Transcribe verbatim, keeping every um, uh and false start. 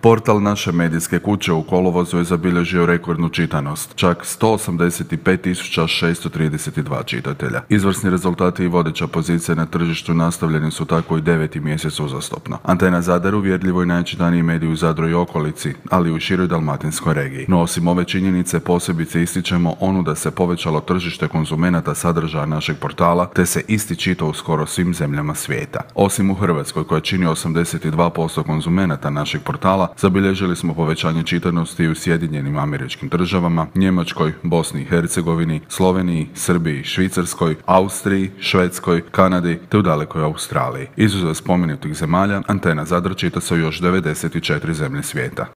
Portal naše medijske kuće u kolovozu je zabilježio rekordnu čitanost, čak sto osamdeset pet tisuća šesto trideset dva čitatelja. Izvrsni rezultati i vodeća pozicija na tržištu nastavljeni su tako i deveti mjesec uzastopno. Antena Zadar uvjerljivo je najčitaniji medij u Zadru i okolici, ali i u široj dalmatinskoj regiji. No osim ove činjenice posebice ističemo onu da se povećalo tržište konzumenata sadržaja našeg portala, te se isti čita u skoro svim zemljama svijeta. Osim u Hrvatskoj, koja čini osamdeset dva posto konzumenata našeg portala, zabilježili smo povećanje čitanosti u Sjedinjenim Američkim Državama, Njemačkoj, Bosni i Hercegovini, Sloveniji, Srbiji, Švicarskoj, Austriji, Švedskoj, Kanadi te u dalekoj Australiji. Izuzev spomenutih zemalja, Antena Zadar čita se u još devedeset četiri zemlje svijeta.